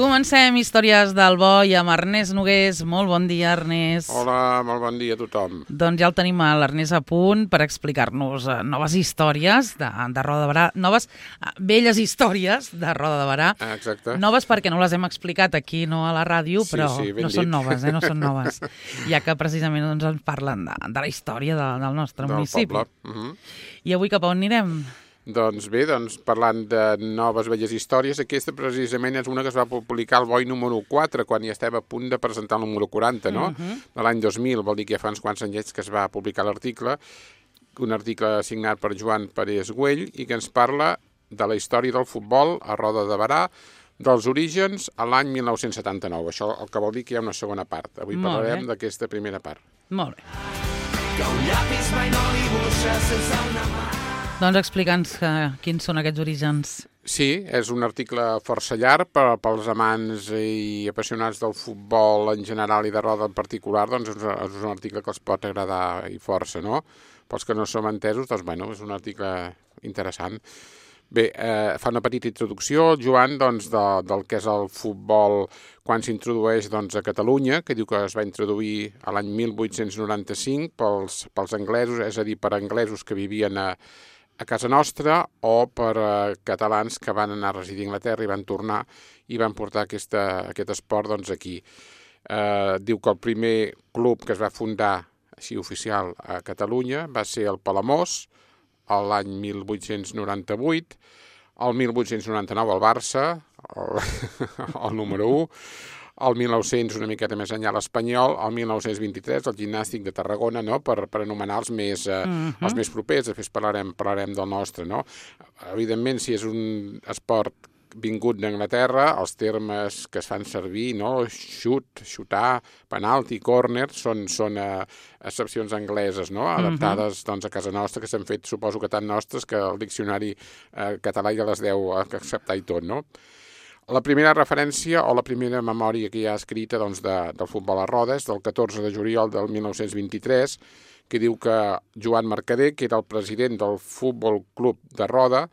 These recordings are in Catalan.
Comencem Històries del Bo i amb Ernest Nogués. Molt bon dia, Ernest. Hola, molt bon dia a tothom. Doncs ja el tenim a l'Ernest a punt per explicar-nos noves històries de Roda de Berà, noves velles històries de Roda de Berà. Exacte. Noves perquè no les hem explicat aquí, no a la ràdio, però no són noves, no són noves. Ja que precisament doncs, ens parlen de la història del nostre municipi. Del poble. I avui cap a on anirem? Doncs bé, parlant de noves velles històries, aquesta precisament és una que es va publicar al Boi número 4, quan ja estem a punt de presentar el número 40, no? De l'any 2000, vol dir que ja fa uns quants anyets que es va publicar l'article, un article signat per Joan Parés Güell, i que ens parla de la història del futbol a Roda de Berà, dels orígens a l'any 1979. Això el que vol dir que hi ha una segona part. Avui parlarem d'aquesta primera part. Molt bé. Que un llapis mai no dibuixa sense una mà. Doncs explica'ns quins són aquests orígens. Sí, és un article força llarg pels amants i apassionats del futbol en general i de roda en particular, doncs és un article que els pot agradar i força, no? Pels que no som entesos, doncs bueno, és un article interessant. Bé, fa una petita introducció, Joan, doncs, del que és el futbol quan s'introdueix a Catalunya, que diu que es va introduir a l'any 1895 pels anglesos, és a dir, per anglesos que vivien a casa nostra o per catalans que van anar a residir a Anglaterra i van tornar i van portar aquest esport aquí. Diu que el primer club que es va fundar així oficial a Catalunya va ser el Palamós, l'any 1898, el 1899 el Barça, el número 1, el 1900 una miqueta més enllà l'Espanyol, el 1923 el Gimnàstic de Tarragona, no? per anomenar els més propers, després parlarem del nostre. No? Evidentment, si és un esport vingut d'Anglaterra, els termes que es fan servir, no? Xutar, penalti, córner, són excepcions angleses, no? Adaptades a casa nostra, que s'han fet, suposo que tan nostres, que el diccionari català ja les deu acceptar i tot, no? La primera referència o la primera memòria que hi ha escrita del futbol a roda és del 14 de juliol del 1923, que diu que Joan Mercader, que era el president del Futbol Club de Roda,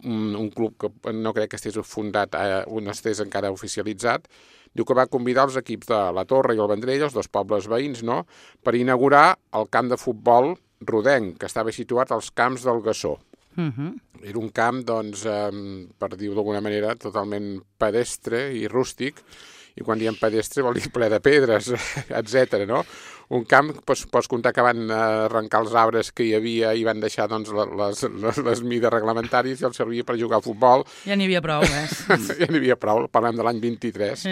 un club que no crec que estés fundat, no estés encara oficialitzat, diu que va convidar els equips de la Torre i el Vendrell, els dos pobles veïns, no?, per inaugurar el camp de futbol rodenc, que estava situat als camps del Gassó. Era un camp, per dir-ho d'alguna manera, totalment pedestre i rústic, i quan diem pedestre vol dir ple de pedres, etc. No? Un camp, pots comptar que van arrencar els arbres que hi havia i van deixar les mides reglamentàries i els servia per jugar a futbol. Ja n'hi havia prou, Ja n'hi havia prou, parlem de l'any 23.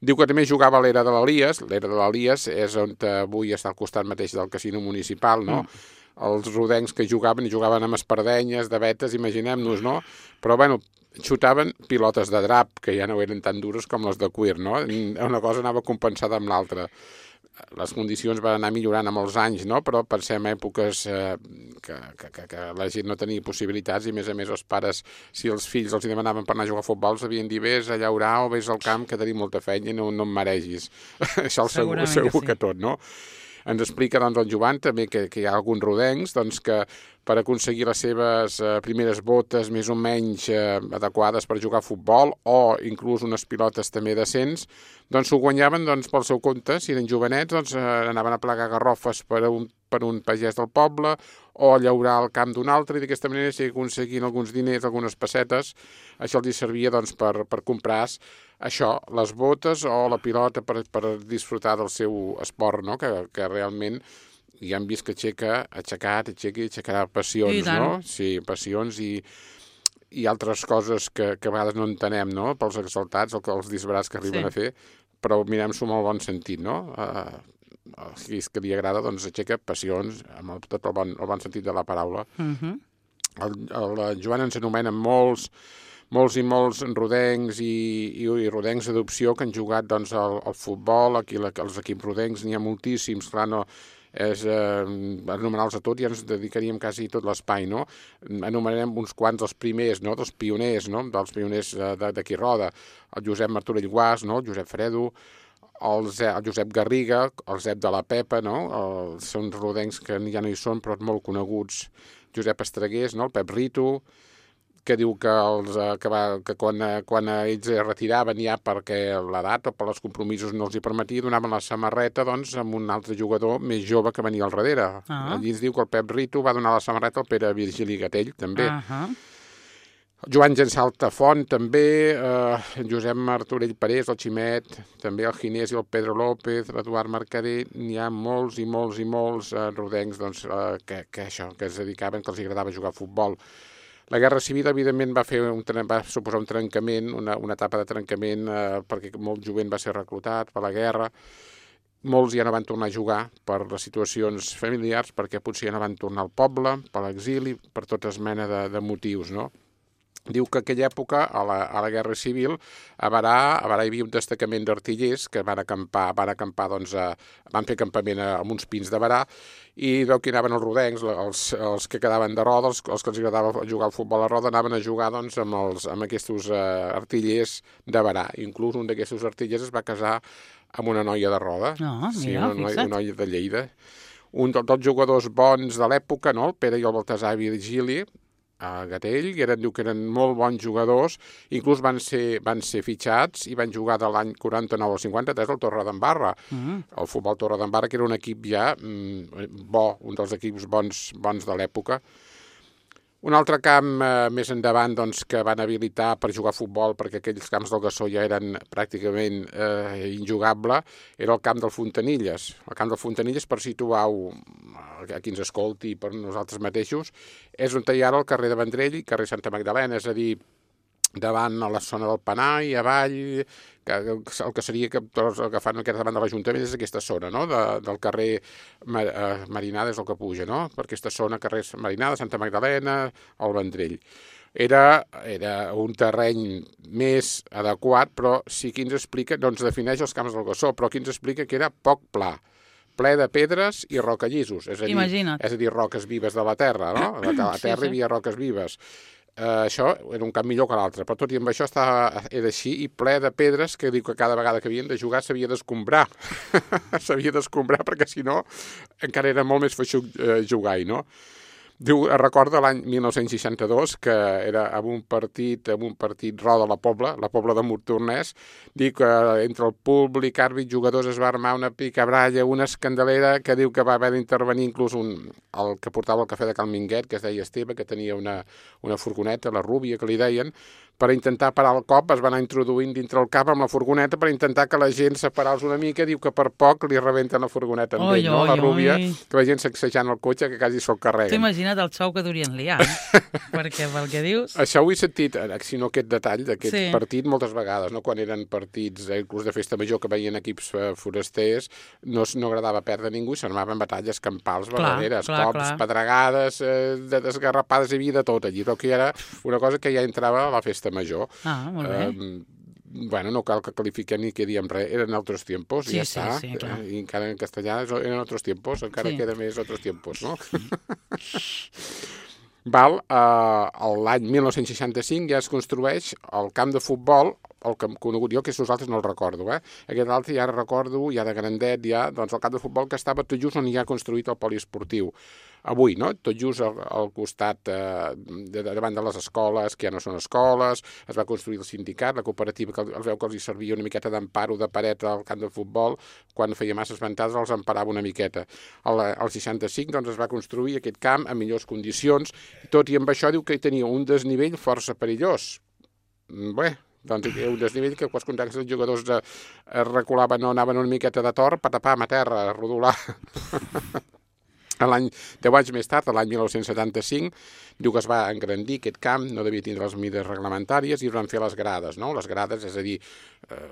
Diu que també jugava a l'era de l'Elies. L'era de l'Elies és on avui està al costat mateix del casino municipal, no? Els rodencs que jugaven amb espardenyes, de vetes, imaginem-nos, no? Però, bueno, xutaven pilotes de drap, que ja no eren tan dures com les de cuir, no? Una cosa anava compensada amb l'altra. Les condicions van anar millorant amb els anys, no? Però pensem èpoques que la gent no tenia possibilitats i, a més, els pares, si els fills els demanaven per anar a jugar a futbol, els havien dit vés a llaurar o vés al camp, que tenim molta feina i no em maregis. Això segur que tot, no? Ens explica el Joan també que hi ha alguns rodencs que per aconseguir les seves primeres botes més o menys adequades per jugar a futbol o inclús unes pilotes també decents, s'ho guanyaven pel seu compte. Si eren jovenets anaven a plegar garrofes per un pagès del poble o a llaurar al camp d'un altre, i d'aquesta manera, si aconseguien alguns diners, algunes pessetes, això els servia per comprar això, les botes o la pilota per disfrutar del seu esport, no? Que realment ja hem vist que aixecarà passions, no? Sí, passions i altres coses que a vegades no entenem, no? Pels exaltats, els disbarats que arriben a fer, però mirem-s'ho amb el bon sentit, no? Que li agrada, aixeca passions, amb tot el bon sentit de la paraula. El Joan ens anomena molts i molts rodencs i rodencs d'adopció que han jugat al futbol. Aquí els equips rodencs n'hi ha moltíssims, clar, no és anomenar-los a tots, ja ens dedicaríem quasi tot l'espai, no? Anomenarem uns quants dels primers, no? Dels pioners, no? Dels pioners d'aquí Roda, el Josep Martorell Guàs, no? El Josep Fredo, el Josep Garriga, el Zep de la Pepa, no? Són rodencs que ja no hi són, però molt coneguts. Josep Estregués, no? El Pep Rito, que diu que quan ells es retiraven ja perquè l'edat o per els compromisos no els hi permetia, donaven la samarreta doncs, amb un altre jugador més jove que venia al darrere. Allí ens diu que el Pep Rito va donar la samarreta al Pere Virgili Gatell, també. Joan Gensalta Font, també, Josep Martorell Parés, el Ximet, també el Ginés i el Pedro López, l'Eduard Mercader, n'hi ha molts i molts i molts rodencs doncs, que es dedicaven, que els agradava jugar a futbol. La Guerra Civil, evidentment, va suposar un trencament, una etapa de trencament, perquè molt jovent va ser reclutat per la guerra. Molts ja no van tornar a jugar per les situacions familiars, perquè potser ja no van tornar al poble, per l'exili, per totes mena de motius, no? Diu que aquella època, a la Guerra Civil, a Berà hi havia un destacament d'artillers que van acampar, doncs, van fer campament amb uns pins de Berà, i veu que anaven els rodencs, els que quedaven de roda, els que els agradava jugar al futbol a roda, anaven a jugar doncs, amb aquests artillers de Berà. Inclús un d'aquests artillers es va casar amb una noia de roda, una noia de Lleida. Un dels jugadors bons de l'època, no? El Pere i el Baltasar Virgili, a Gatell, diu que eren molt bons jugadors, inclús van ser fitxats i van jugar de l'any 49 al 53 al Torredembarra. El futbol Torredembarra, que era un equip ja bo, un dels equips bons de l'època. Un altre camp més endavant doncs, que van habilitar per jugar a futbol, perquè aquells camps del Gassó ja eren pràcticament injugable, era el camp del Fontanilles. El camp del Fontanilles, per situar-ho a qui ens escolti per nosaltres mateixos, és on hi ha ara el carrer de Vendrell i carrer Santa Magdalena, és a dir, davant a la zona del Penà i avall, el que seria que tots agafant aquest davant de l'Ajuntament és aquesta zona, no? Del carrer Marinada és el que puja, no? Per aquesta zona, carrer Marinada, Santa Magdalena, el Vendrell. Era un terreny més adequat, però sí que ens explica, doncs defineix els camps del Gassó, però aquí ens explica que era poc pla, ple de pedres i rocallissos, és a dir, roques vives de la terra, no? A la terra hi havia roques vives. Això era un camp millor que l'altre, però tot i amb això era així i ple de pedres que diu que cada vegada que havien de jugar s'havia d'escombrar. S'havia d'escombrar perquè si no encara era molt més feixuc jugar-hi, no? Diu, recorda l'any 1962, que era amb un partit roda a la Pobla de Montornès, diu que entre el públic, àrbit, jugadors es va armar una picabralla, una escandalera, que diu que va haver d'intervenir inclús el que portava el cafè de Cal Minguet, que es deia Esteve, que tenia una furgoneta, la Rúbia, que li deien, per intentar parar el cop, es va anar introduint dintre el cap amb la furgoneta per intentar que la gent separals una mica, diu que per poc li rebenten la furgoneta amb ell, no? La Rúbia, que la gent sacsejant el cotxe que quasi se'l carreguen. T'ho imagina't el xou que durien liar, perquè pel que dius... Això ho he sentit, si no aquest detall d'aquest partit, moltes vegades, no? Quan eren partits, inclús de festa major, que veien equips forasters, no agradava perdre ningú i s'armaven batalles campals verdaderes, cops, pedregades, desgarrapades, hi havia de tot allí, però que era una cosa que ja entrava a la festa major. Molt bé. Bueno, no cal que qualifiquem ni que diem res, eren altres tiempos, i ja està. Sí, clar. I encara en castellà eren altres tiempos, encara queda més altres tiempos, no? L'any 1965 ja es construeix el camp de futbol, el que hem conegut jo, que nosaltres no el recordo, Aquest altre ja recordo, ja de grandet, doncs el camp de futbol que estava tot just on hi ha construït el poliesportiu. Avui, no? Tot just al costat, davant de les escoles, que ja no són escoles, es va construir el sindicat, la cooperativa, que els veu que els hi servia una miqueta d'emparo de paret al camp de futbol, quan feia masses ventades els emparava una miqueta. Al 65 doncs, es va construir aquest camp en millors condicions, tot i amb això diu que hi tenia un desnivell força perillós. Bé, doncs un desnivell que quals contactes els jugadors es reculaven o anaven una miqueta de tor, patapam a terra, a rodolar. 10 anys més tard, l'any 1975, diu que es va engrandir aquest camp, no devia tindre les mides reglamentàries i es van fer les grades, no? Les grades, és a dir,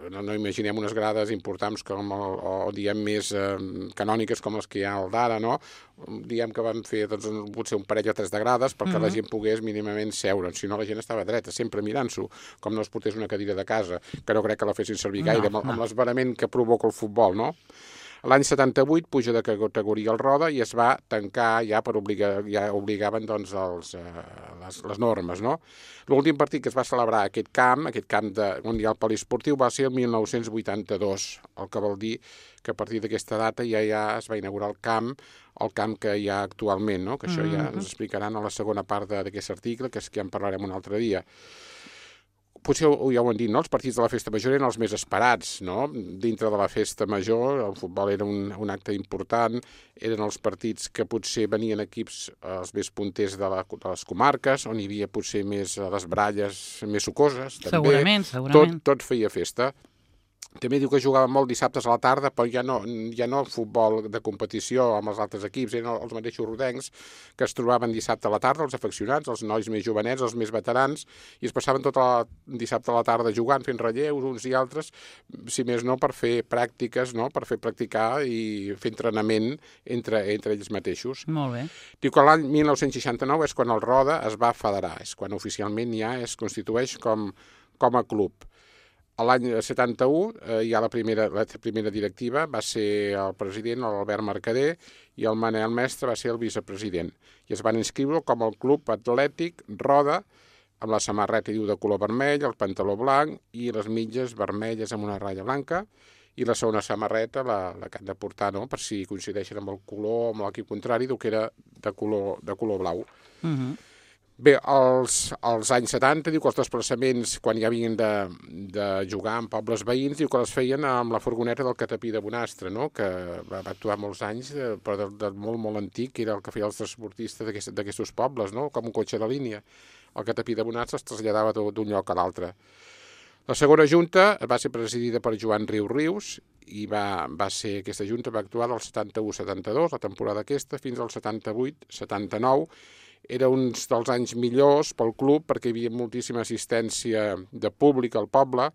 no imaginem unes grades importants o diguem més canòniques com les que hi ha al d'ara, no? Diguem que van fer potser un parell o 3 de grades perquè la gent pogués mínimament seure, si no la gent estava dreta, sempre mirant-s'ho, com no es portés una cadira de casa, que no crec que la fessin servir gaire, amb l'esverament que provoca el futbol, no? L'any 78 puja de categoria el Roda i es va tancar ja per obligaven doncs les normes, no? L'últim partit que es va celebrar a aquest camp on hi ha el poliesportiu, va ser el 1982, el que vol dir que a partir d'aquesta data ja es va inaugurar el camp que hi ha actualment, no? Que això ja ens explicaran a la segona part d'aquest article, que ja en parlarem un altre dia. Potser ja ho han dit, no? Els partits de la festa major eren els més esperats, no? Dintre de la festa major, el futbol era un acte important, eren els partits que potser venien equips els més punters de les comarques, on hi havia potser més les bralles més sucoses, també. Segurament. Tot feia festa. També diu que jugaven molt dissabtes a la tarda, però ja no futbol de competició amb els altres equips, eren els mateixos rodencs que es trobaven dissabte a la tarda, els afeccionats, els nois més jovenets, els més veterans, i es passaven tot el dissabte a la tarda jugant, fent relleus uns i altres, si més no per fer pràctiques, no? Per fer practicar i fer entrenament entre ells mateixos. Molt bé. Diu que l'any 1969 és quan el Roda es va federar, és quan oficialment ja es constitueix com a club. A l'any 71 hi ha la primera directiva, va ser el president l'Albert Mercader i el Manel Mestre va ser el vicepresident. I es van inscriure com el Club Atlètic Roda, amb la samarreta de color vermell, el pantaló blanc i les mitges vermelles amb una ratlla blanca, i la segona samarreta, la que han de portar, no? Per si coincideixen amb el color, amb l'equip contrari, que era de color blau. Bé, als anys 70 diu que els desplaçaments, quan ja havien de jugar en pobles veïns, diu que les feien amb la furgoneta del Catapí de Bonastre, no? Que va actuar molts anys, però de molt, molt antic, que era el que feia els transportistes d'aquests pobles, no? Com un cotxe de línia. El Catapí de Bonastre es traslladava d'un lloc a l'altre. La segona junta va ser presidida per Joan Rius i aquesta junta va actuar del 71-72, la temporada aquesta, fins al 78-79. Era uns dels anys millors pel club perquè hi havia moltíssima assistència de públic al poble,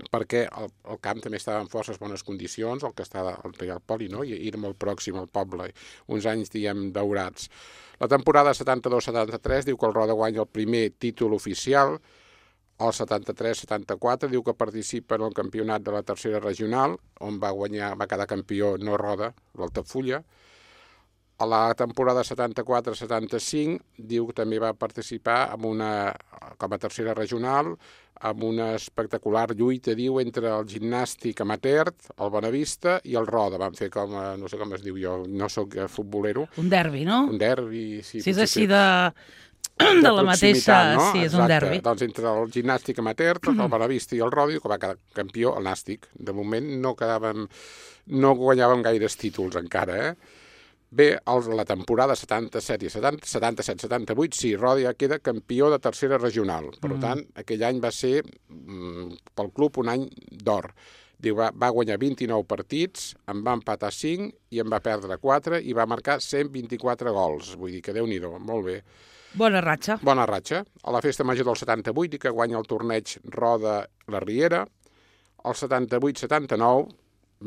perquè el camp també estava en forces bones condicions, el que està al Real Poli, no? I era molt pròxim al poble, uns anys, diguem, daurats. La temporada 72-73 diu que el Roda guanya el primer títol oficial, el 73-74 diu que participa en el campionat de la tercera regional, on va quedar campió no Roda, l'Altafulla. A la temporada 74-75 diu que també va participar com a tercera regional amb una espectacular lluita, diu, entre el gimnàstic amateur, el Bonavista i el Roda. Van fer no sé com es diu, jo no sóc futbolero. Un derbi, no? Un derbi, sí. Si és així de la mateixa, no? Sí, és un derbi. Doncs entre el gimnàstic amateur, el Bonavista i el Roda, que va quedar campió el Nàstic. De moment no guanyàvem gaires títols encara, Bé, la temporada 77-78, sí, Roda ja queda campió de tercera regional. Per tant, aquell any va ser, pel club, un any d'or. Va guanyar 29 partits, en va empatar 5 i en va perdre 4 i va marcar 124 gols. Vull dir que Déu-n'hi-do, molt bé. Bona ratxa. Bona ratxa. A la festa major del 78 i que guanya el torneig Roda-La Riera. El 78-79...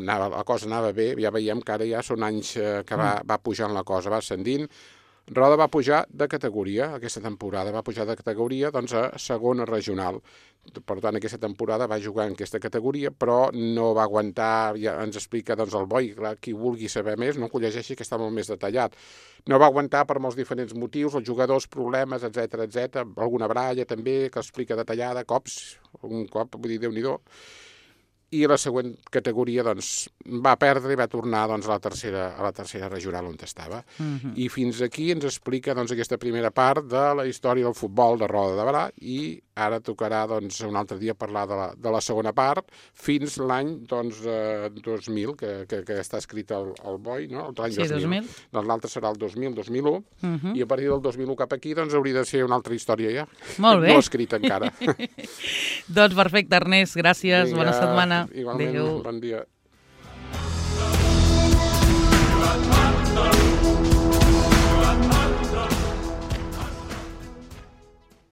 la cosa anava bé, ja veiem que ara ja són anys que va pujant la cosa, va ascendint. Roda va pujar de categoria, aquesta temporada va pujar de categoria doncs, a segona regional. Per tant, aquesta temporada va jugar en aquesta categoria, però no va aguantar, ja ens explica doncs, el Boi, clar, qui vulgui saber més, no que ho llegeixi, que està molt més detallat. No va aguantar per molts diferents motius, els jugadors, problemes, etc, alguna bralla també, que explica detallada, un cop, vull dir, Déu-n'hi-do. I la següent categoria doncs, va perdre i va tornar doncs, a la tercera regional on estava. I fins aquí ens explica doncs, aquesta primera part de la història del futbol de Roda de Berà i ara tocarà doncs, un altre dia parlar de la segona part fins l'any doncs, 2000, que està escrit al Boi, no? L'any 2000. Doncs l'altre serà el 2000-2001 i a partir del 2001 cap aquí doncs, hauria de ser una altra història ja. Molt bé. No escrita encara. Doncs perfecte, Ernest, gràcies, bona setmana. Igualment, bon dia.